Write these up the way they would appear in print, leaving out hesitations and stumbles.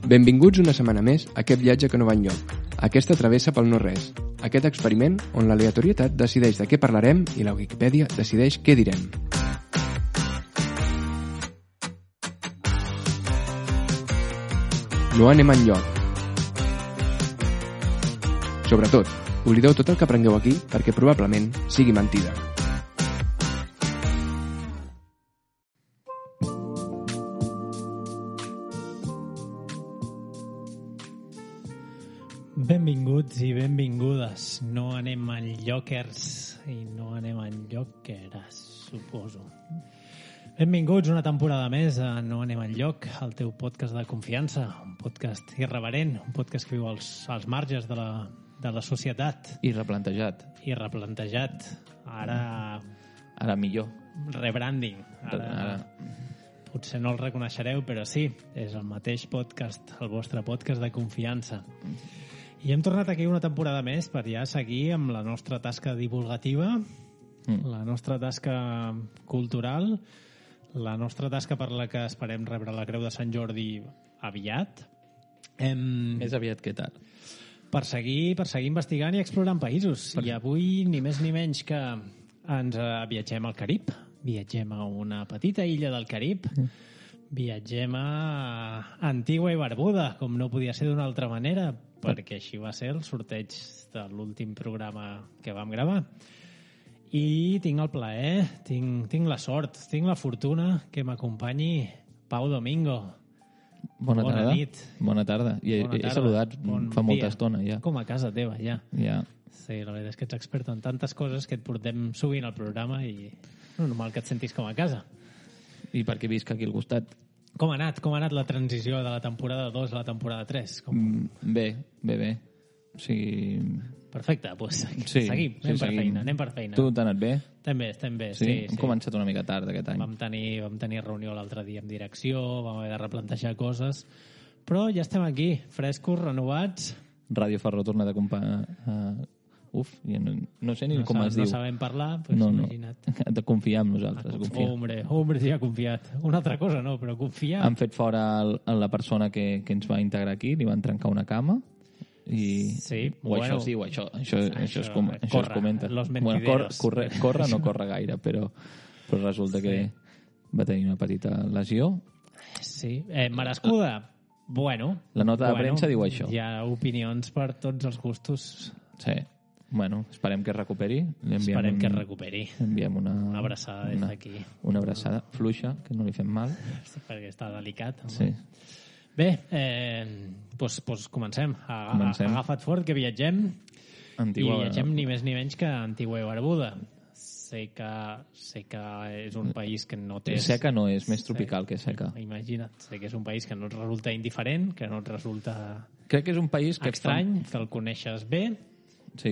Benvinguts una setmana més a aquest viatge que no va enlloc, aquesta travessa pel no-res, aquest experiment on l'aleatorietat decideix de què parlarem i la Wikipedia decideix què direm. No anem enlloc. Sobretot, oblideu tot el que aprengueu aquí perquè probablement sigui mentida. Benvinguts i benvingudes. No anem enlloquers i no anem enlloqueres, suposo. Benvinguts una temporada més a No anem enlloc, el teu podcast de confiança, un podcast irreverent, un podcast que viu als marges de la societat. I replantejat. I replantejat. Ara millor. Rebranding. Ara potser no el reconeixereu, però sí, és el mateix podcast, el vostre podcast de confiança. I hem tornat aquí una temporada més per ja seguir amb la nostra tasca divulgativa, la nostra tasca cultural, la nostra tasca per la que esperem rebre la Creu de Sant Jordi aviat. Més aviat que tard. Per seguir investigant i explorant països. I avui, ni més ni menys que ens viatgem al Carib. Viatgem a una petita illa del Carib. Viatgem a Antigua i Barbuda, com no podia ser d'una altra manera, perquè així va ser el sorteig de l'últim programa que vam gravar. I tinc el plaer, tinc la sort, tinc la fortuna que m'acompanyi Pau Domingo. Bona tarda. Nit. Bona tarda. He saludat fa molta estona, ja. Com a casa teva, ja. Ja. Sí, la veritat és que ets expert en tantes coses que et portem sovint al programa i normal que et sentis com a casa. I perquè visc aquí al costat. Com ha anat la transició de la temporada 2 a la temporada 3? Bé. O sigui... Perfecte, doncs sí, seguim. Anem per feina. Tu t'ha anat bé? Estem bé, sí. Hem començat una mica tard aquest any. Vam tenir reunió l'altre dia amb direcció, vam haver de replantejar coses, però ja estem aquí, frescos, renovats. Ràdio Ferró torna d'acompanyar... no sé ni com es diu. No sabem parlar, doncs imagina't. De confiar en nosaltres. Hombre, sí ha confiat. Una altra cosa no, però confiar. Han fet fora la persona que ens va integrar aquí, li van trencar una cama i... Sí, això es diu, això es comenta. Los mentideros. Corre no corre gaire, però resulta que va tenir una petita lesió. Sí, merescuda. Bueno. La nota de premsa diu això. Hi ha opinions per tots els gustos. Sí. Bueno, esperem que es recuperi. Que es recuperi. Enviem una abraçada des d'aquí. Una abraçada fluixa, que no li fem mal. Sí, perquè està delicat. Sí. Bé, doncs comencem. Agafa't fort, que viatgem. Antigua... I viatgem ni més ni menys que Antigua i Barbuda. Sé que és un país que no té... Seca no és, més tropical que seca. Imagina't, sé que és un país que no et resulta indiferent, que no et resulta... Crec que és un país que estrany, que el coneixes bé. Sí.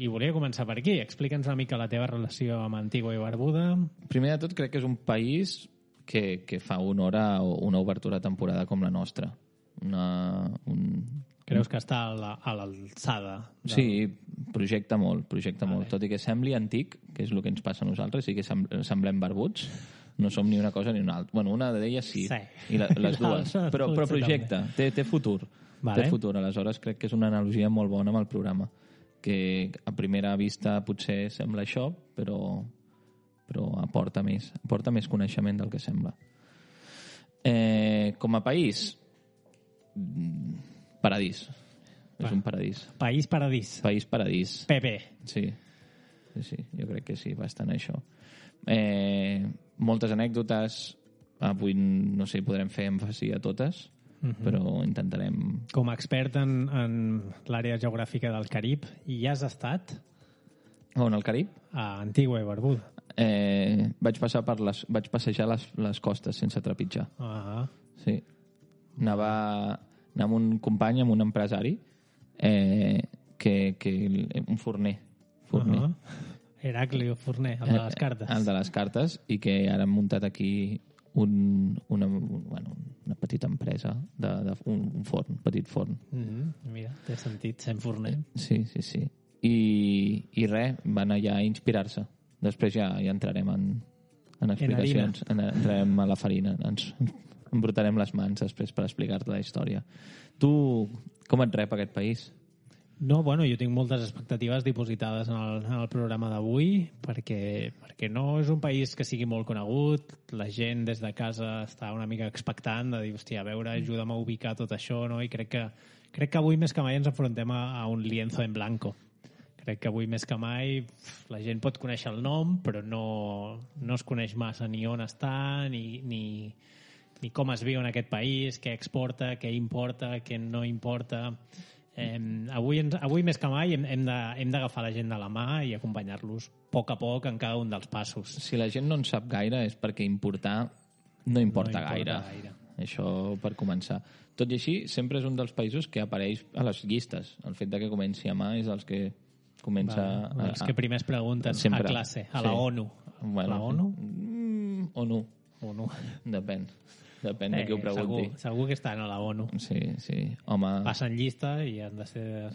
I volia començar per aquí. Explica'ns una mica la teva relació amb Antigua i Barbuda. Primer de tot, crec que és un país que fa honor a una obertura de temporada com la nostra. Creus que està a l'alçada? Sí, projecta molt. Tot i que sembli antic, que és el que ens passa a nosaltres, i que semblem barbuts, no som ni una cosa ni una altra. Bueno, una d'elles sí. I les dues. Però projecta, té futur. Vale. Té futur, aleshores crec que és una analogia molt bona amb el programa, que a primera vista potser sembla això, però aporta més coneixement del que sembla. Com a país, paradís. És un paradís. País paradís. PP. Sí, jo crec que sí, bastant això. Moltes anècdotes, avui no sé, podrem fer èmfasi a totes, però intentarem... Com a expert en l'àrea geogràfica del Carib, hi has estat? On, al Carib? A Antigua i Barbuda. Vaig passejar les costes sense trepitjar. Sí. Anava amb un company, amb un empresari, un forner. Heraclio Forner, el de les cartes. El de les cartes, i que ara hem muntat aquí una petita empresa, un forn, un petit forn. Mira, té sentit, sent forner. Sí. I res, van allà a inspirar-se. Després ja entrarem en explicacions. Entrarem a la farina. embrutarem les mans després per explicar-te la història. Tu, com et rep aquest país? No, bueno, jo tinc moltes expectatives dipositades en el programa d'avui perquè no és un país que sigui molt conegut, la gent des de casa està una mica expectant de dir, hòstia, a veure, ajuda'm a ubicar tot això, no? I crec que avui més que mai ens enfrontem a un lienzo en blanco. Crec que avui més que mai la gent pot conèixer el nom, però no es coneix massa ni on està, ni com es viu en aquest país, què exporta, què importa, què no importa. Avui més que mai hem d'agafar la gent de la mà i acompanyar-los a poc en cada un dels passos. Si la gent no en sap gaire és perquè importar no importa gaire. Això per començar. Tot i així, sempre és un dels països que apareix a les llistes. El fet de que comenci a mà és els que comença... Els que primer es pregunten sempre, a classe, a la ONU. Bueno, la ONU? ONU. Depèn de qui ho pregunti. Segur que estan a la ONU. Sí. Home... Passen llista i han de ser...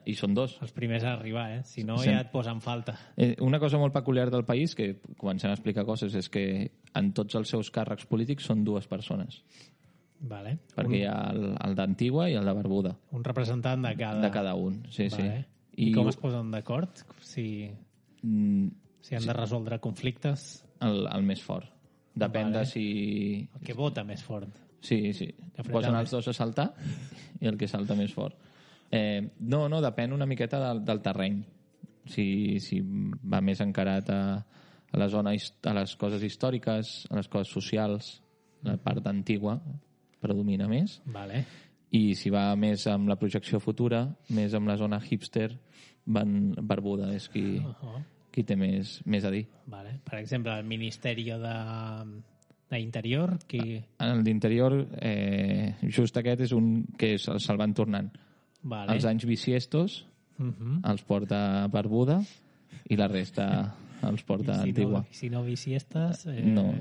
I són dos. Els primers a arribar, eh? Si no, ja et posen falta. Una cosa molt peculiar del país, que comencem a explicar coses, és que en tots els seus càrrecs polítics són dues persones. Vale. Perquè hi ha el d'Antigua i el de Barbuda. Un representant de cada... De cada un, sí. I com es posen d'acord? Si han de resoldre conflictes? El més fort. Depèn de si... El que vota més fort. Sí. Posen els dos a saltar i el que salta més fort. No, depèn una miqueta del terreny. Si va més encarat a la zona, a les coses històriques, a les coses socials, la part antigua predomina més. Vale. I si va més amb la projecció futura, més amb la zona hipster, Barbuda és qui té més a dir. Vale. Per exemple, el Ministeri d'Interior... El d'Interior, just aquest és un que se'l van tornant. Vale. Els anys bisiestos els porta Barbuda i la resta els porta Antigua. I si no bisiestes... No,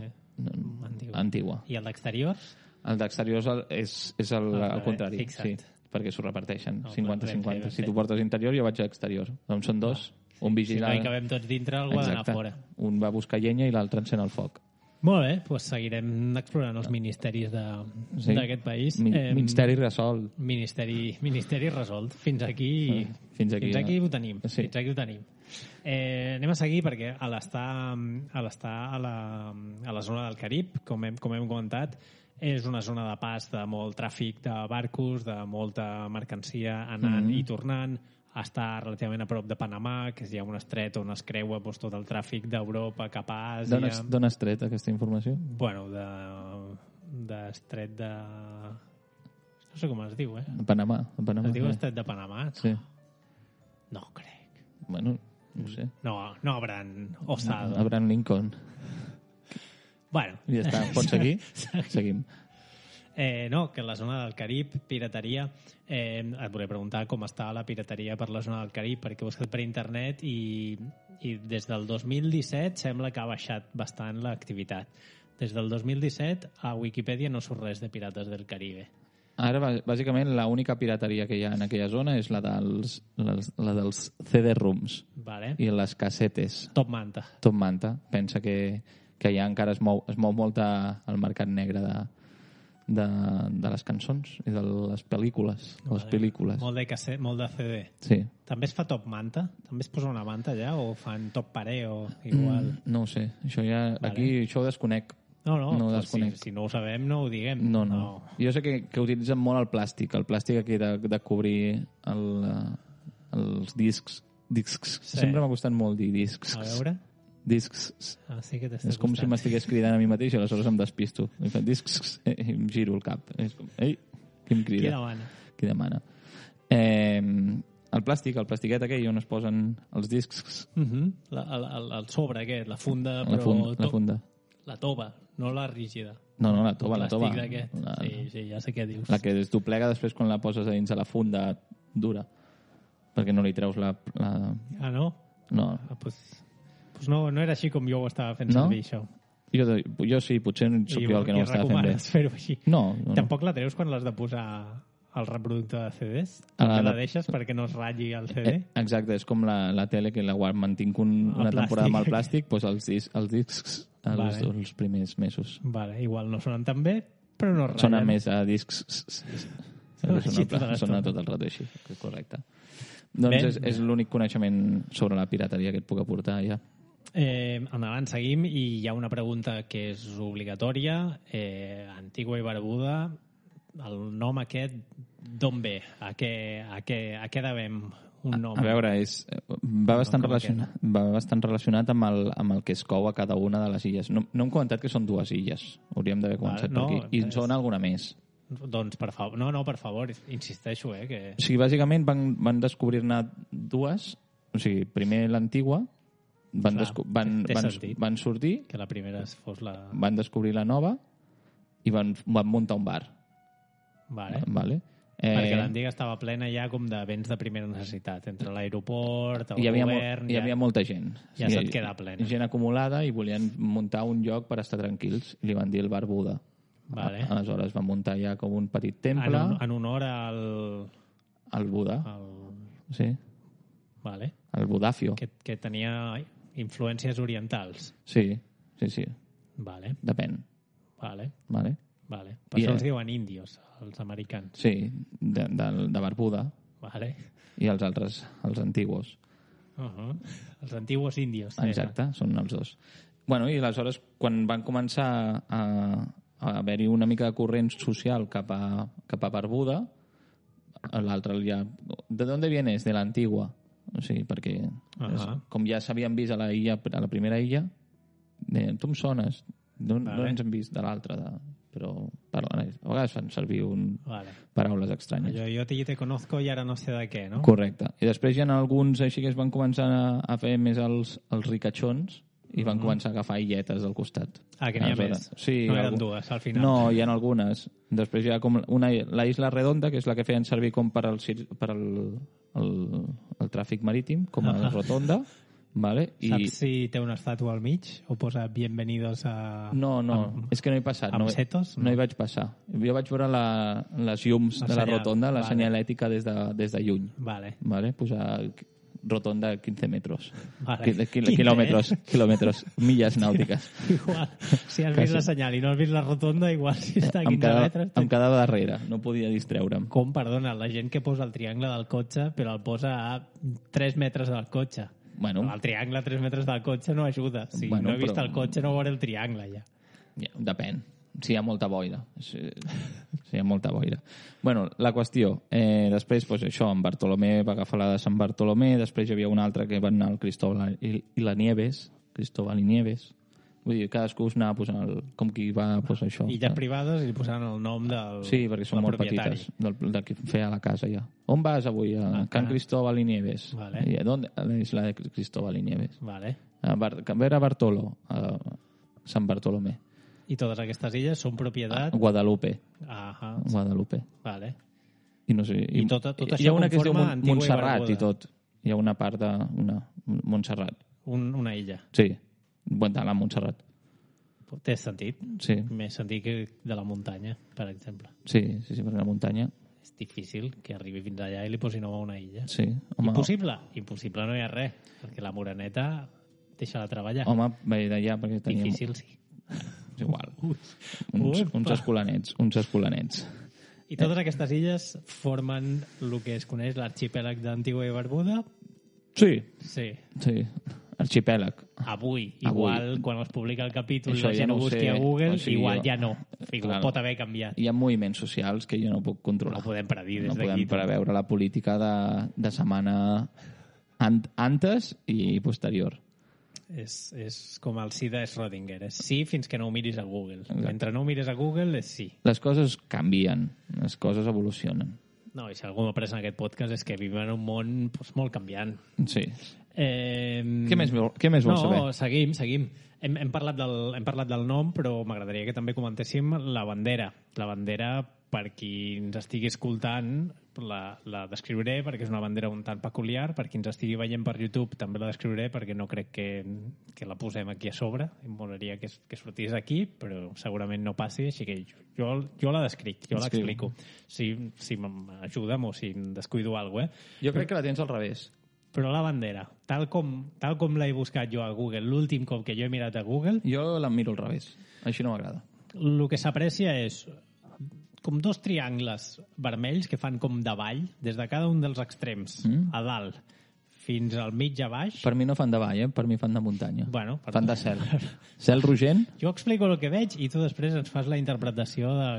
Antigua. I el d'Exterior? El d'Exterior és al contrari. Fixa't. Sí, perquè s'ho repeteixen, 50-50. Si tu portes Interior, jo vaig a Exterior. Doncs són dos. Un vigila... Si no hi cabem tots dintre, algú ha d'anar fora. Un va buscar llenya i l'altre encén el foc. Molt bé, doncs seguirem explorant els ministeris d'aquest país. Ministeri resolt. Ministeri resolt. Fins aquí ho tenim. Sí. Fins aquí ho tenim. Anem a seguir perquè a l'estar a la zona del Carib, com hem comentat, és una zona de pas de molt tràfic de barcos, de molta mercancia anant i tornant. Està relativament a prop de Panamà, que hi ha un estret on es creua tot el tràfic d'Europa cap a Àsia. D'on has tret aquesta informació? Bueno, d'estret de... No sé com es diu, Panamà. Es diu estret de Panamà? Sí. No crec. Bueno, no sé. No Abraham Osado. Abraham Lincoln. Bueno. Ja està, pots seguir? Seguim. No, que la zona del Carib, pirateria, et volia preguntar com està la pirateria per la zona del Carib, perquè ho he buscat per internet i des del 2017 sembla que ha baixat bastant l'activitat. Des del 2017 a Wikipedia no surt res de Pirates del Caribe. Ara, bàsicament, l'única pirateria que hi ha en aquella zona és la dels CD-ROOMs. Vale. I les cassetes. Top manta. Pensa que allà encara es mou molt el mercat negre de les cançons i de les pel·lícules. Molt de cassette, molt de CD. Sí. També es fa top manta? També es posa una manta allà? O fan top paré o igual? No ho sé. Això ja, aquí això ho desconec. No ho desconec. Si no ho sabem, no ho diguem. No. Jo sé que utilitzen molt el plàstic. El plàstic aquí de cobrir els discs. Sí. Sempre m'ha costat molt dir discs. A veure... Discs. Sí que és com si m'estigués cridant a mi mateix i aleshores em despisto. I faig discs i em giro el cap. És com, ei, qui em crida? Qui demana? El plastiquet aquell on es posen els discs. El sobre aquest, la funda. La funda. La tova, no la rígida. No, la tova. Sí, ja sé què dius. La que es doblega després quan la poses a dins de la funda dura. Perquè no li treus la... Ah, no? No. No era així com jo ho estava fent servir, això. Jo sí, potser soc jo el que no ho estava fent bé. I recomanes fer-ho així. No. Tampoc la treus quan l'has de posar al reproductor de CDs? La deixes perquè no es ratlli el CD? Exacte, és com la tele que mantinc una temporada amb el plàstic, doncs els discs els primers mesos. Vale, igual no sonen tan bé, però no ratllen. Sona més a discs... Sona tot el rato així, correcte. Doncs és l'únic coneixement sobre la pirateria que et puc aportar, ja. Endavant, seguim, i hi ha una pregunta que és obligatòria. Antigua i Barbuda, el nom aquest, d'on ve? A què devem un nom? A veure, va bastant relacionat amb el que es cou a cada una de les illes. No hem comentat que són 2 illes. Hauríem d'haver començat per aquí. I són alguna més. Doncs, per favor. No, per favor, insisteixo, que... O sigui, bàsicament van descobrir-ne 2. O sigui, primer l'Antigua, van sortir... Que la primera fos la... Van descobrir la nova i van muntar un bar. Vale. Perquè l'antiga estava plena ja com de béns de primera necessitat, entre l'aeroport, el govern... Hi havia molta gent. Ja se't queda plena. Gent acumulada i volien muntar un lloc per estar tranquils. I li van dir el bar Buda. Vale. Aleshores van muntar ja com un petit temple... En honor al... Al Buda. Sí. Vale. El Budafio. Que tenia influències orientals. Sí. Vale. Depèn. Vale. Per això els diuen índios, els americans. Sí, de Barbuda. Vale. I els altres, els antiguos. Els antiguos índios. Exacte, són els 2. Bueno, i aleshores, quan van començar a haver-hi una mica de corrent social cap a Barbuda, l'altre ja... ¿De dónde vienes? De l'antigua. O sigui, perquè com ja s'havien vist a la primera illa, tu em sones, no ens hem vist de l'altra, però a vegades fan servir paraules estranyes. Jo te conozco i ara no sé de què, no? Correcte. I després hi ha alguns així que es van començar a fer més els ricachons i van començar a agafar illetes del costat. Que n'hi ha més? Sí, no eren 2, al final? No, hi ha algunes. Després hi ha com la Isla Redonda, que és la que feien servir com per al tràfic marítim, com a rotonda. Vale? Saps si té una estàtua al mig o posa bienvenidos a... No, és que no he passat. Amb setos? No hi vaig passar. Jo vaig veure les llums de la rotonda, la senyalètica des de lluny. Vale. Posar rotonda 15 metros. Vale. Quilòmetres, milles nàutiques. Igual, si has vist la senyal i no has vist la rotonda, igual si està a 15 metres... Em quedava darrere, no podia distreure'm. Com, perdona, la gent que posa el triangle del cotxe, però el posa a 3 metres del cotxe. Bueno. El triangle a 3 metres del cotxe no ajuda. Si no he vist el cotxe, no veuré el triangle, ja. Depèn. Si hi ha molta boira. Si hi ha molta boira. Bueno, la qüestió. Després, això, en Bartolomé va agafar la de Sant Bartolomé, després hi havia una altra que va anar al Cristóbal i Nieves. Vull dir, cadascú es anava posant com qui va posar això. Illes privades i li posaven el nom del Sí, perquè són molt petites, del que feia la casa ja. On vas avui? A Can Cristóbal i Nieves. Vale. I a l'isla de Cristóbal i Nieves. Vale. A ver a Bartolo, a Sant Bartolomé. I totes aquestes illes són propietat... Guadalupe. Guadalupe. Vale. I no sé... I tot això hi ha una que es diu Antigua Montserrat i tot. Hi ha una part de... Montserrat. Una illa. Sí. De la Montserrat. Té sentit? Sí. Més sentit que de la muntanya, per exemple. Sí, perquè la muntanya... És difícil que arribi fins allà i li posi nom a una illa. Sí. Home, impossible? Impossible no hi ha res, perquè la Moreneta deixa de treballar. Home, ve d'allà perquè teníem... Difícil, sí. És igual. Uns escolanets. I totes aquestes illes formen el que es coneix l'arxipèlag d'Antigua i Barbuda? Sí. Arxipèlag. Avui. Igual, quan es publica el capítol, això la gent ho busqui a Google, igual ja no. Pot haver canviat. Hi ha moviments socials que jo no puc controlar. No podem predir des d'aquí. No podem preveure la política de setmana antes i posterior. És com el sí de Schrödinger. És sí fins que no ho miris a Google. Exacte. Mentre no ho mires a Google, és sí. Les coses canvien. Les coses evolucionen. No, i si algú m'ha pres en aquest podcast és que vivim en un món molt canviant. Sí. Què més vols saber? No, seguim. Hem parlat del nom, però m'agradaria que també comentéssim la bandera. La bandera, per qui ens estigui escoltant, la descriuré perquè és una bandera un tant peculiar. Per qui ens estigui veient per YouTube també la descriuré perquè no crec que la posem aquí a sobre. Em molaria que sortís aquí, però segurament no passi, així que jo la descric, jo l'explico. Si m'ajudem o si em descuido alguna cosa. Jo crec que la tens al revés. Però la bandera, tal com l'he buscat jo a Google, l'últim cop que jo he mirat a Google... Jo la miro al revés, així no m'agrada. El que s'aprecia és com 2 triangles vermells que fan com de vall, des de cada un dels extrems, a dalt, fins al mig a baix. Per mi no fan de vall, per mi fan de muntanya. Bueno, fan de cel. Cel rogent. Jo explico el que veig i tu després ens fas la interpretació de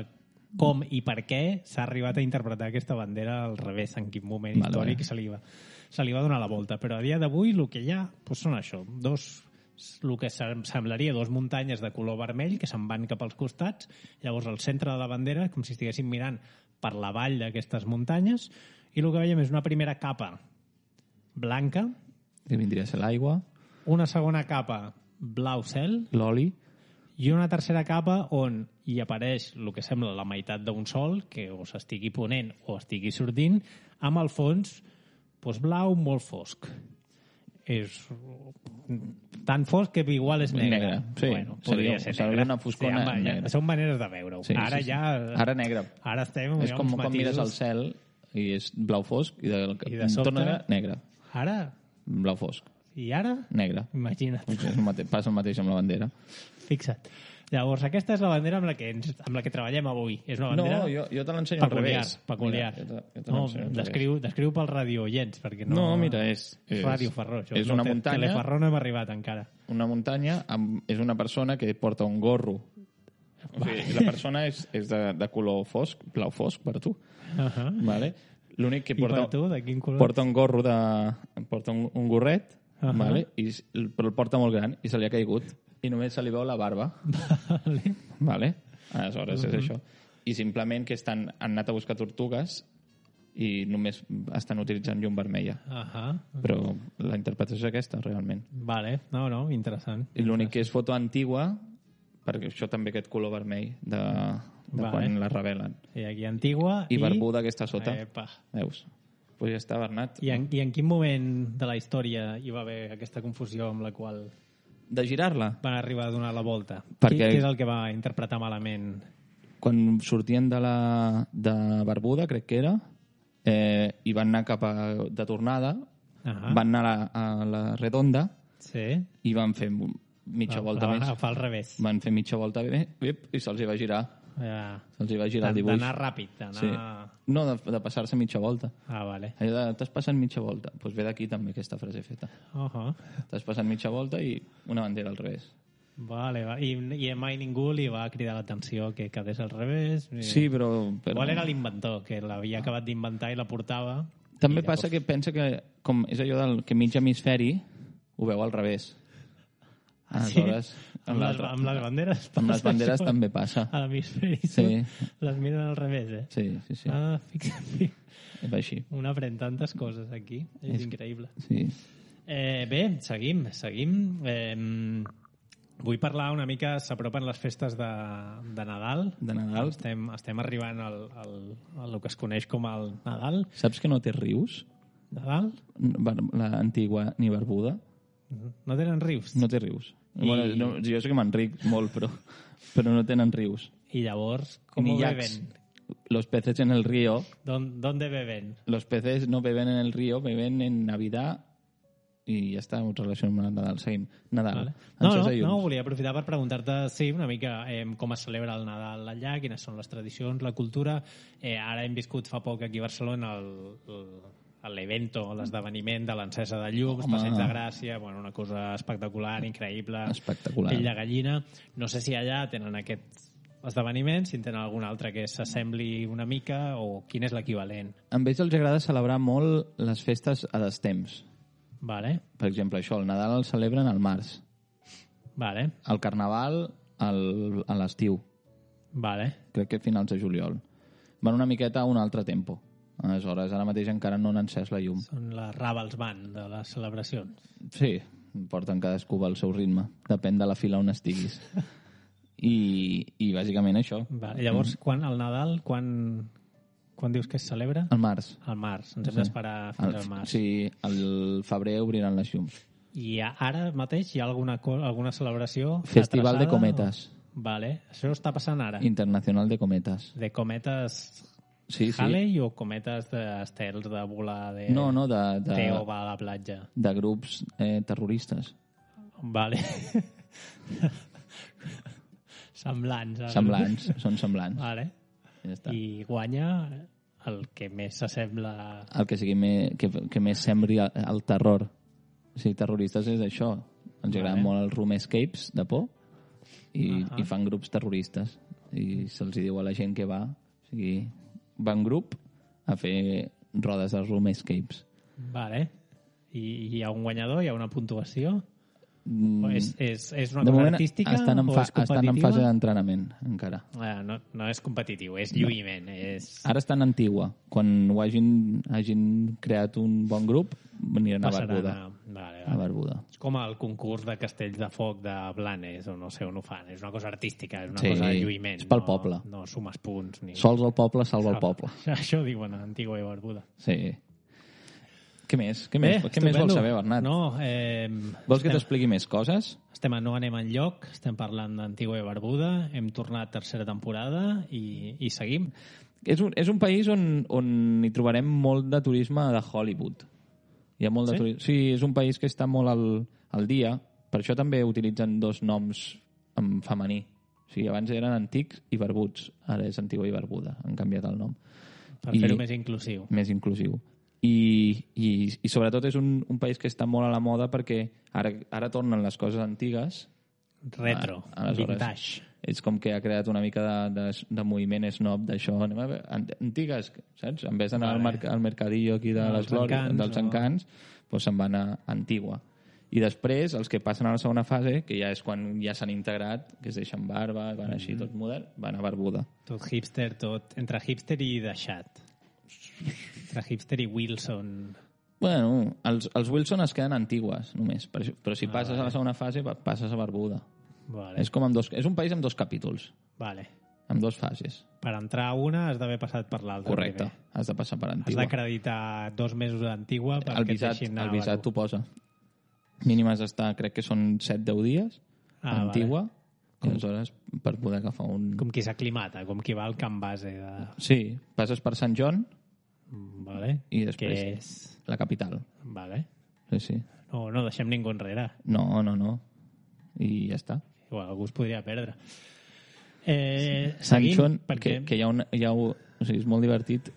com i per què s'ha arribat a interpretar aquesta bandera al revés, en quin moment històric se li va donar la volta. Però a dia d'avui el que hi ha són això, el que semblaria 2 muntanyes de color vermell que se'n van cap als costats, llavors al centre de la bandera, com si estiguéssim mirant per la vall d'aquestes muntanyes, i el que veiem és una primera capa blanca, que vindria a ser l'aigua, una segona capa blau cel, l'oli, i una tercera capa on hi apareix el que sembla la meitat d'un sol, que o s'estigui ponent o estigui sortint, amb el fons blau molt fosc. És tan fosc que igual és negre. Sí, bueno, podria ser negre. Una foscona negra. Són maneres de veure-ho. Sí, ara ja... Ara negre. Ara estem... És com quan mires al cel i és blau fosc i de sobte torna negre. Ara... Blau fosc. I ara? Negre. Imagina't. Passa el mateix amb la bandera. Fixa't. Llavors, aquesta és la bandera amb la que treballem avui. És una bandera... No, jo te l'ensenyo al revés. Peculiar. Descriu pel radiooients, perquè no... No, mira, és... Ràdio Ferró. És una muntanya... Teleferró no hem arribat encara. Una muntanya és una persona que porta un gorro. O sigui, la persona és de color fosc, blau fosc, per tu. Vale? L'únic que porta... I per tu, de quin color? Porta un gorro de... Porta un gorret, vale? Però el porta molt gran i se li ha caigut. I només se li veu la barba. Vale? Aleshores és això. I simplement que han anat a buscar tortugues i només estan utilitzant llum vermella. Però la interpretació és aquesta, realment. Vale. No, interessant. I l'únic que és foto antigua, perquè això també aquest color vermell de quan la revelen. I aquí antigua i barbuda que està sota. Epa. Veus? Pues ja està, Bernat. I en quin moment de la història hi va haver aquesta confusió amb la qual... De girar-la? Van arribar a donar la volta. Perquè... Què és el que va interpretar malament? Quan sortien de Barbuda, crec que era, i van anar cap de tornada, van anar a la Redonda i van fer mitja volta més. Van agafar al revés. Van fer mitja volta i se'ls hi va girar. Se'ls hi va girar el dibuix. D'anar ràpid, d'anar... Sí. No, de passar-se mitja volta. Vale. T'has passat mitja volta. Doncs ve d'aquí també aquesta frase feta. T'has passat mitja volta i una bandera al revés. Vale. I mai ningú li va cridar l'atenció que quedés al revés? Sí, però... Igual era l'inventor, que l'havia acabat d'inventar i la portava. També passa que pensa que, com és allò del que mig hemisferi, ho veu al revés. Aleshores, amb les banderes amb les banderes també passa. A l'hemisferi les miren al revés, Sí. Fixa't. Així. Un aprèn tantes coses aquí. És increïble. Sí. Bé, seguim. Vull parlar una mica, s'apropen les festes de Nadal. De Nadal. Estem arribant al que es coneix com el Nadal. Saps que no té rius? Nadal? L'antigua ni Barbuda. No tenen rius? No té rius. Bueno, jo sé que m'enric molt, però no tenen rius. I llavors, com ho beben? Los peces en el río. ¿Dónde beben? Los peces no beben en el río, beben en Navidad i ja està, en relació amb Nadal. Seguim. Nadal. Vale. No, volia aprofitar per preguntar-te, una mica com es celebra el Nadal allà, quines són les tradicions, la cultura. Ara hem viscut fa poc aquí a Barcelona l'evento, l'esdeveniment de l'encesa de llums, Passeig de Gràcia, una cosa espectacular, increïble. Espectacular. Pell de gallina. No sé si allà tenen aquest esdeveniment, si en tenen algun altre que s'assembli una mica, o quin és l'equivalent. A ells els agrada celebrar molt les festes a destemps. Vale. Per exemple, això, el Nadal el celebren al març. Vale. El Carnaval a l'estiu. Vale. Crec que a finals de juliol. Van una miqueta a un altre tempo. Aleshores, ara mateix encara no han encès la llum. Són les Ravels Band de les celebracions. Sí, porten cadascú al seu ritme. Depèn de la fila on estiguis. I bàsicament això. Vale. Llavors, el Nadal, quan dius que es celebra? Al març. Al març. Ens hem d'esperar fins al març. Sí, al febrer obriran les llums. I ara mateix hi ha alguna celebració? Festival de cometes. Vale. Això està passant ara? Internacional de cometes. De cometes... Sí. Halley o cometes d'estels de volar de... No, Teo va a la platja. De grups terroristes. Vale. Semblants. Són semblants. Vale. Ja està. I guanya el que més s'assembla... El que sigui que més sembli el terror. O sigui, terroristes és això. Ens agraden molt els room escapes de por i fan grups terroristes. I se'ls diu a la gent que va. O sigui, va en grup a fer rodes de room escapes. Vale. I hi ha un guanyador? Hi ha una puntuació? És una de cosa moment artística estan en o és competitiva? estan en fase d'entrenament, encara. No és competitiu, és lluïment. Ara estan en Antigua. Quan ho hagin creat un bon grup, aniran a Barbuda. A Barbuda. És com el concurs de castells de foc de Blanes, o no sé on ho fan. És una cosa artística, és una cosa de lluïment. És pel poble. No sumes punts. Sols el poble salva el poble. Això diuen a Antigua i Barbuda. Sí. Què més vols saber, Bernat? No, vols que t'expliqui més coses? No anem enlloc, estem parlant d'Antigua i Barbuda, hem tornat tercera temporada i seguim. És un país on hi trobarem molt de turisme de Hollywood. Hi ha molt de turisme. Sí, és un país que està molt al dia. Per això també utilitzen dos noms en femení. O sigui, abans eren Antics i Barbuts. Ara és Antigua i Barbuda. Han canviat el nom. Per fer-ho més inclusiu. Més inclusiu. I sobretot és un país que està molt a la moda perquè ara tornen les coses antigues. Retro, vintage. És com que ha creat una mica de moviment snob d'això. Antigues, saps? En vez d'anar al mercadillo aquí dels Encants, doncs se'n van a Antigua. I després, els que passen a la segona fase, que ja és quan ja s'han integrat, que es deixen barba, van així tot modern, van a Barbuda. Tot hipster, entre hipster i deixat. Entre hipster i Wilson. Bueno, els Wilson es queden antigues, només. Però si passes a la segona fase, passes a Barbuda. Vale. És un país amb 2 capítols. Vale. Amb 2 fases. Per entrar a una has d'haver passat per l'altra. Correcte, has de passar per Antigua. Has d'acreditar 2 mesos d'Antigua perquè et deixin anar. El visat t'ho posa. Mínim has d'estar, crec que són 7-10 dies a Antigua. Vale. I aleshores, per poder agafar un... Com qui s'aclimata, com qui va al camp base. Sí, passes per Sant John. Vale. I després que és la capital. Vale. Sí. No deixem ningú enrere. No. I ja està. Igual algú es podria perdre. Sant John, perquè que hi ha o sigui, és molt divertit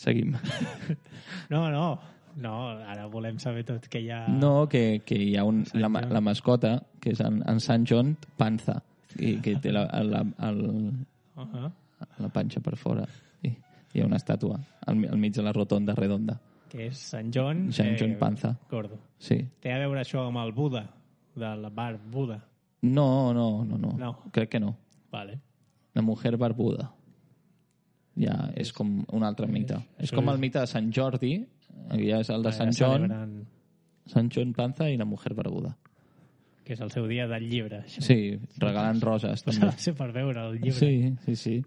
Seguim. No, ara volem saber tot que hi ha... No, que hi ha la mascota, que és en Sant John Panza, i que té la panxa per fora. I hi ha una estàtua al mig de la rotonda redonda. Que és Sant John Panza. Gordo. Sí. Té a veure això amb el Buda, del bar Buda? No. Crec que no. Vale. La mujer barbuda. Ja és com un altre mite. És com el mite de Sant Jordi, ja és el de Sant John, Sant John Panza i la mujer barbuda. Que és el seu dia del llibre. Això. Sí, regalen roses. També. Va ser per veure el llibre. Sí.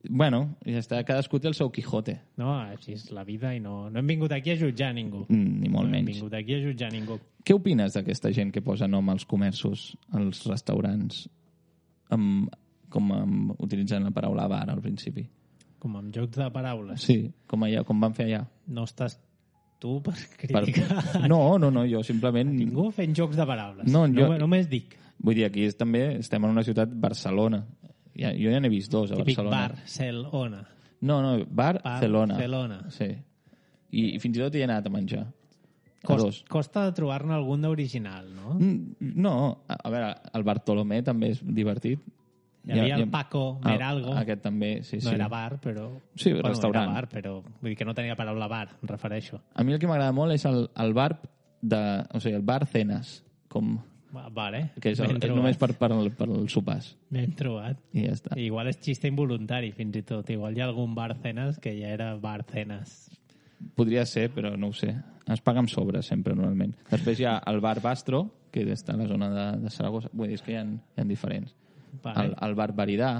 Bueno, ja està, cadascú té el seu Quijote. No, així és la vida i no hem vingut aquí a jutjar ningú. Ni molt menys. No hem vingut aquí a jutjar ningú. Què opines d'aquesta gent que posa nom als comerços, als restaurants, utilitzant la paraula bar al principi? Com amb jocs de paraules? Sí, com van fer allà. No estàs tu per criticar? No, jo simplement... Ningú fent jocs de paraules. No, només dic. Vull dir, aquí també estem en una ciutat, Barcelona. Jo ja n'he vist 2 a Barcelona. Típic Barcelona. No, Barcelona. Barcelona. Sí. I fins i tot hi he anat a menjar. Costa de trobar-ne algun d'original, no? No, a veure, el Bartolomé també és divertit. Hi havia el Paco Meralgo. Aquest també, sí. No era bar, però... Sí, restaurant. Era bar, però vull dir que no tenia paraula bar, em refereixo. A mi el que m'agrada molt és el bar o sigui, el bar cenes, com... Vale. Que és només per els sopars. Ben trobat. I ja està. Igual és xiste involuntari, fins i tot. Igual hi ha algun bar cenes que ja era bar cenes. Podria ser, però no ho sé. Es paga amb sobres, sempre, normalment. Després hi ha el bar Bastro, que està a la zona de Saragossa. Vull dir, és que hi ha diferents. Vale. El bar Baridà.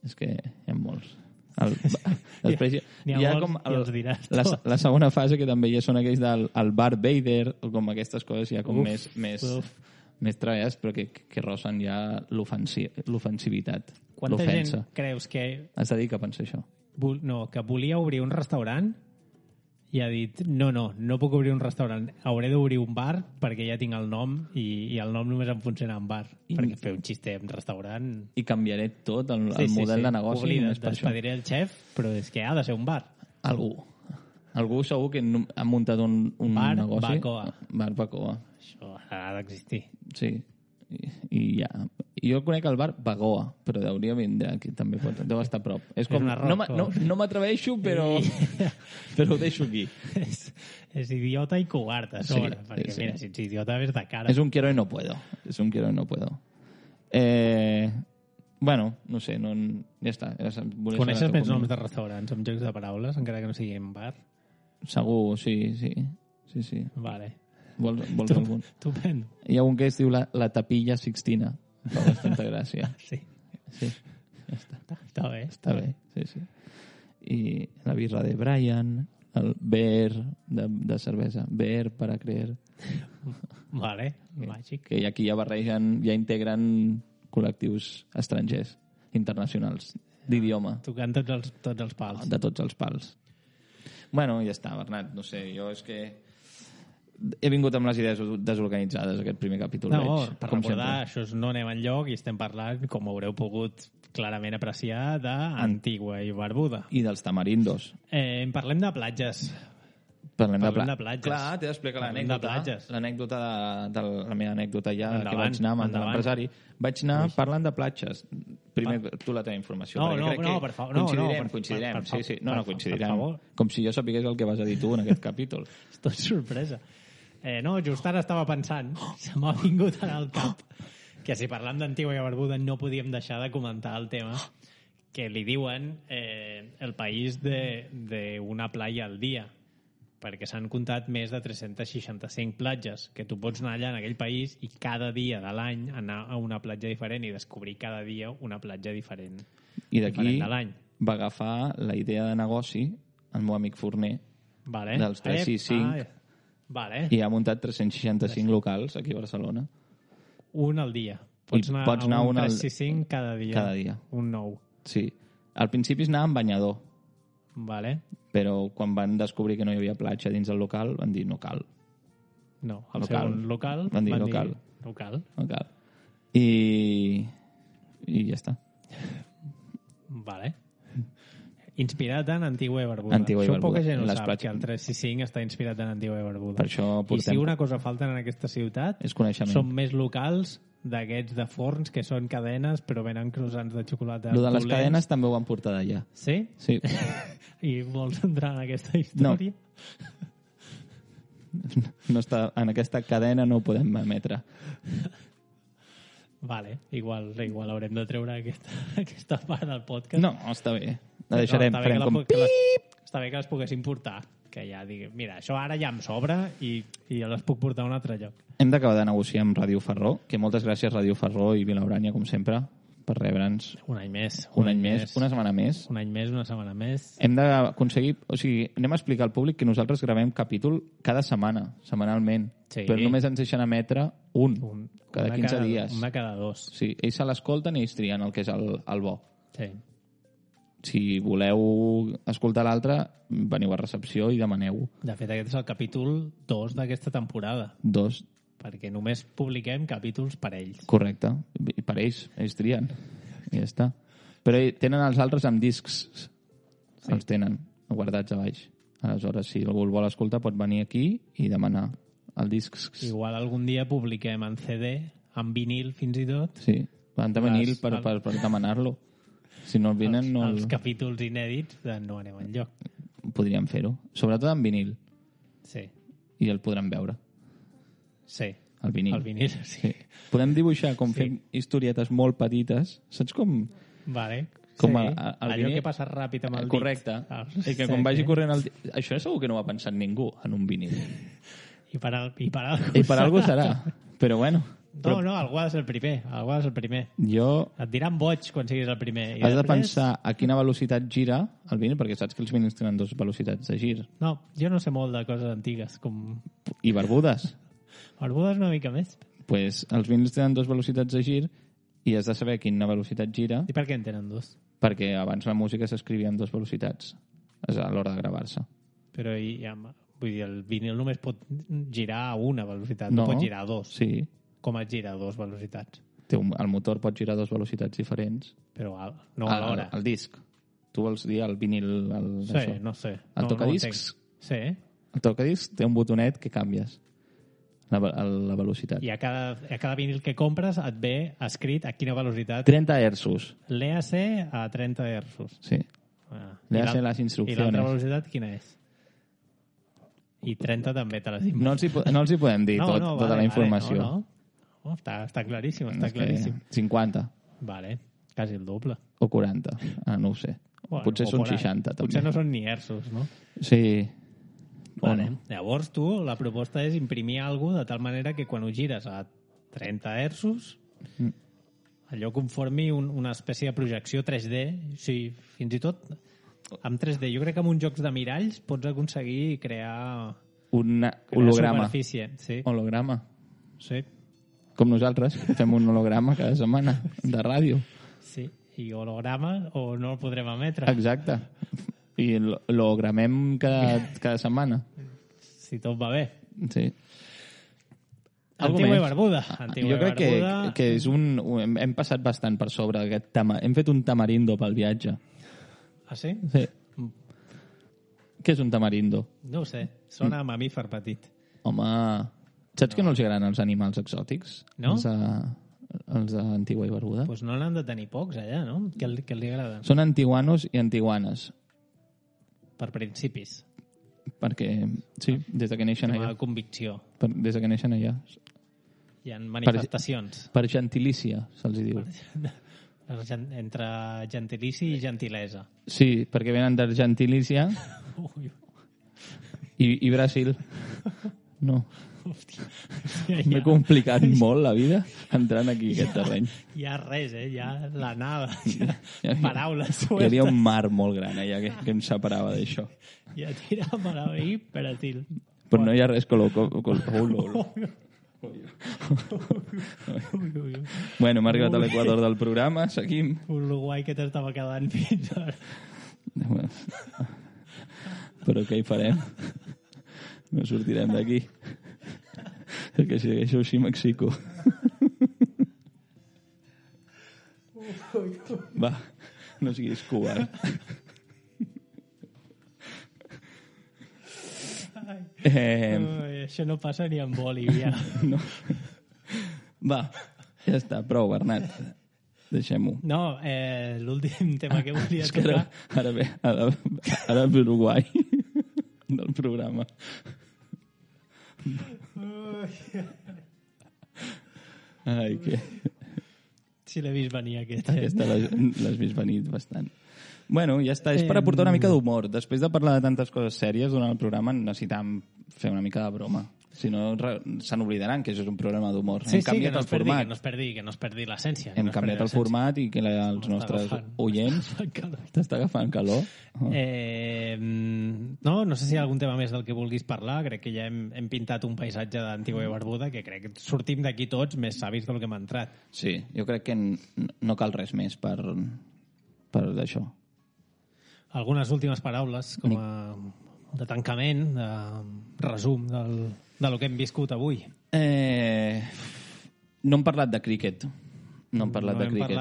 És que hi ha molts. Després hi ha com la segona fase, que també ja són aquells del bar Vader, o com aquestes coses ja com més treballes, però que rossen ja l'ofensivitat. Quanta gent creus que... Has de dir que pensa això. Que volia obrir un restaurant i ha dit, no puc obrir un restaurant, hauré d'obrir un bar perquè ja tinc el nom i el nom només em funciona en bar, perquè fer un xiste en restaurant... I canviaré tot el model de negoci. Oblida't, despediré el xef, però és que ha de ser un bar. Algú segur que ha muntat un bar negoci. Bacoa. Bar Bacoa. Això ha d'existir. Sí. I ja. Jo conec el bar Bagoa, però hauria vindre aquí també. Deu estar a prop. És com, no m'atreveixo, però ho deixo aquí. És idiota i covard, a sobre. Perquè mira, si ets idiota, ves de cara. És un quiero y no puedo. Bueno, no sé, ja està. Coneixes més noms de restaurants amb jocs de paraules, encara que no sigui en bar? Segur, sí. Vale. Vols algun? Estupendo. Hi ha un que es diu la Tapilla Sixtina. Fa bastanta gràcia. Sí. Ja està. Està bé. Està bé, sí. I la birra de Brian, el Beer de cervesa. Beer para creer. Vale, màgic. Que aquí ja barregen, ja integren col·lectius estrangers, internacionals, d'idioma. Tocant tots els pals. De tots els pals. Bueno, ja està, Bernat. No sé, jo és que he vingut amb les idees desorganitzades aquest primer capítol. No, per recordar, això no anem enlloc i estem parlant, com haureu pogut clarament apreciar, d'Antigua i Barbuda. I dels tamarindos. Parlem de platges. Parlem de platges. Clar, t'he d'explicar l'anècdota. L'anècdota la meva anècdota ja, endavant, que vaig anar amb l'empresari. Vaig anar parlant de platges. Primer, tu la teva informació. Per favor. Coincidirem. Sí. No, coincidirem. Com si jo sapigués el que vas a dir tu en aquest capítol. És tot sorpresa. Just ara estava pensant, se m'ha vingut al cap, que si parlant d'Antigua i Barbuda no podíem deixar de comentar el tema que li diuen el país d'una playa al dia, perquè s'han comptat més de 365 platges, que tu pots anar allà en aquell país i cada dia de l'any anar a una platja diferent i descobrir cada dia una platja diferent. I d'aquí va agafar la idea de negoci el meu amic Forner, dels 365, i ha muntat 365 locals aquí a Barcelona. Un al dia. Pots anar a un 365 cada dia. Cada dia. Un nou. Sí. Al principi es anava amb banyador. Vale. Però quan van descobrir que no hi havia platja dins del local, van dir no cal. No, al segon local van dir no cal. I ja està. Vale. Inspirat en Antigua i Barbuda. Això poca gent ho sap, que el 365 està inspirat en Antigua i Barbuda. Per això I si una cosa falta en aquesta ciutat és coneixement. Són més locals d'aquests de forns que són cadenes però venen croissants de xocolata. Lo de les cadenes també ho van portar d'allà. Sí? Sí. I vols entrar en aquesta història? No està, en aquesta cadena no ho podem emetre. Vale, igual haurem de treure aquesta part del podcast. No, està bé. La deixarem, farem com pip! Està bé que les poguessin portar, que ja digui, mira, això ara ja em sobra i les puc portar a un altre lloc. Hem d'acabar de negociar amb Ràdio Ferró, que moltes gràcies Ràdio Ferró i Vilaurània, com sempre, per rebre'ns. Un any més. Una setmana més. Un any més, una setmana més. Hem d'aconseguir... O sigui, anem a explicar al públic que nosaltres gravem capítol cada setmana, setmanalment. Sí. Però només ens deixen emetre cada 15 dies. Una cada 2. Sí, ells se l'escolten i ells trien el que és el bo. Sí. Si voleu escoltar l'altre, veniu a recepció i demaneu-ho. De fet, aquest és el capítol 2 d'aquesta temporada. 2. Perquè només publiquem capítols per ells. Correcte. I per ells trien. I ja està. Però tenen els altres amb discs. Sí. Els tenen guardats a baix. Aleshores, si algú el vol escoltar, pot venir aquí i demanar el disc. Igual algun dia publiquem en CD, en vinil fins i tot. Sí, en vinil per demanar-lo. Si no el vinen... Els capítols inèdits no anem enlloc. Podríem fer-ho. Sobretot en vinil. Sí. I el podran veure. Sí. El vinil. El vinil, sí. Podem dibuixar fent historietes molt petites. Saps com... Vale. Com sí. Allò que passa ràpid amb el dit. Correcte. I que quan vagi corrent el dit... Això segur que no ho ha pensat ningú en un vinil. I per algú serà. Però bueno... No, algú ha de ser el primer. Jo... Et diran boig quan siguis el primer. Has de pensar a quina velocitat gira el vinil, perquè saps que els vinils tenen 2 velocitats de gir. No, jo no sé molt de coses antigues. I barbudes. Barbudes una mica més. Pues els vinils tenen 2 velocitats de gir i has de saber a quina velocitat gira. I per què en tenen 2? Perquè abans la música s'escrivia en 2 velocitats a l'hora de gravar-se. Però vull dir, el vinil només pot girar a una velocitat, no pot girar a dos. Sí. Com et gira a dos velocitats? El motor pot girar a dues velocitats diferents. Però no alhora. El disc. Tu vols dir el vinil... Sí, això. No sé. El tocadiscs? Sí. El tocadiscs té un botonet que canvies la velocitat. I a cada vinil que compres et ve escrit a quina velocitat... 30 hertzos. L'EAC a 30 hertzos. Sí. L'EAC les instruccions. I l'altra velocitat quina és? I 30 també te les dic. No els hi podem dir tota la informació. No, està claríssim, està claríssim. 50. Vale, quasi el doble. O 40, no ho sé. Bueno, potser són 60, també. Potser no són ni hertzos, no? Sí. Vale. Llavors tu, la proposta és imprimir alguna de tal manera que quan ho gires a 30 hertzos allò conformi una espècie de projecció 3D. Sí, fins i tot amb 3D. Jo crec que amb uns jocs de miralls pots aconseguir crear un holograma. Superfície. Sí. Holograma. Sí. Com nosaltres, fem un holograma cada setmana de ràdio. Sí, i holograma o no el podrem emetre. Exacte. I l'hologramem cada setmana. Si tot va bé. Sí. Antigua i Barbuda. Jo crec que és hem passat bastant per sobre aquest tema. Hem fet un tamarindo pel viatge. Ah, sí? Sí. Què és un tamarindo? No ho sé. Sona a mamífer petit. Home... Saps que no els agraden els animals exòtics? No? Els d'Antigua i Barbuda? Doncs no n'han de tenir pocs, allà, no? Què li agraden? Són antiguanos i antiguanes. Per principis. Perquè, sí, des de que neixen allà. Com a convicció. Des de que neixen allà. Hi ha manifestacions. Per gentilícia, se'ls diu. Entre gentilici i gentilesa. Sí, perquè venen d'Argentilícia i Brasil. No. M'he complicat molt la vida entrant aquí, aquest terreny. Hi ha res, ja l'anada, paraules sueltes. Hi havia un mar molt gran allà que em separava d'això. Ja tirava ahí, peratil. Però no hi ha res Bueno, hem arribat a l'equador del programa, seguim. Uruguai que t'estava quedant fins ara. Però què hi farem? No sortirem d'aquí. Perquè si deixo així m'excico. Va, no siguis covard. Això no passa ni en Bolívia. No. Va, ja està, prou, Bernat. Deixem-ho. No, l'últim tema que volia tocar... Ara ve Uruguai del programa. Ai, que... Si l'he vist venir, Aquesta l'has vist venir bastant. Bueno, ja està. És per aportar una mica d'humor. Després de parlar de tantes coses sèries durant el programa, necessitam fer una mica de broma. Si no, se n'oblidaran que això és un programa d'humor. Sí, que no es perdi l'essència. Hem canviat el format i que els nostres oients... T'està agafant calor? No sé si hi ha algun tema més del que vulguis parlar. Crec que ja hem pintat un paisatge d'Antigua i Barbuda que crec que sortim d'aquí tots més savis del que hem entrat. Sí, jo crec que no cal res més per d'això. Algunes últimes paraules com a de tancament, de resum de lo que hem viscut avui. No hem parlat de críquet. No hem parlat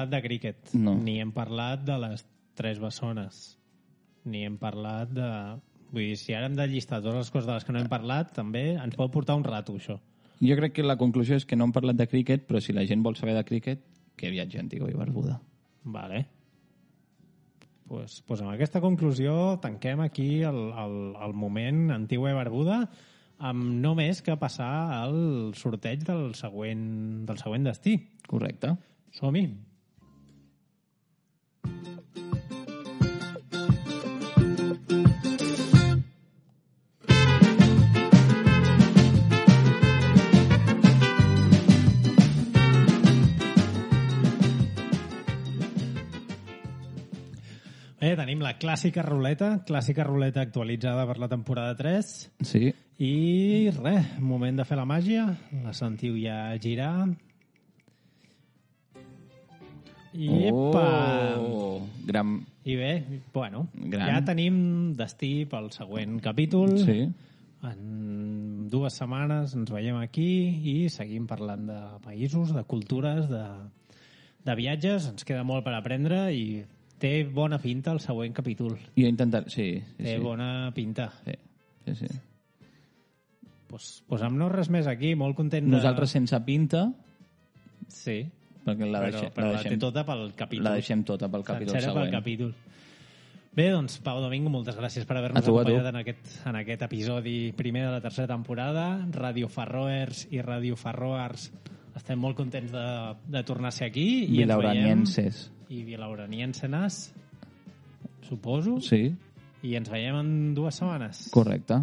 de críquet. No. Ni hem parlat de les tres bessones. Ni hem parlat de... Vull dir, si ara hem de llistar totes les coses de les que no hem parlat, també ens pot portar un rato, això. Jo crec que la conclusió és que no hem parlat de críquet, però si la gent vol saber de críquet, que viatgi a Antigua i Barbuda. Vale. Pues amb aquesta conclusió tanquem aquí el moment Antigua i Barbuda amb no més que passar al sorteig del següent destí. Correcte. Som-hi. Tenim la clàssica ruleta actualitzada per la temporada 3. Sí. I res, moment de fer la màgia. La sentiu ja girar. I epa! I bé, bueno, Gran. ja tenim destí pel següent capítol. Sí. En 2 setmanes ens veiem aquí i seguim parlant de països, de cultures, de viatges. Ens queda molt per aprendre i té bona pinta el següent capítol. Jo he intentat... Sí. Té bona pinta. Sí. Pues amb no res més aquí, molt content de... Nosaltres sense pinta... Sí. Perquè la té tota pel capítol. La deixem tota pel capítol següent. Pel capítol. Bé, doncs, Pau Domingo, moltes gràcies per haver-nos acompanyat en aquest episodi primer de la tercera temporada. Radio Farroers i Radio Farroars estem molt contents de tornar a ser aquí. Vilauranienses. I vilauraniensenes, suposo. Sí. I ens veiem en 2 setmanes. Correcte.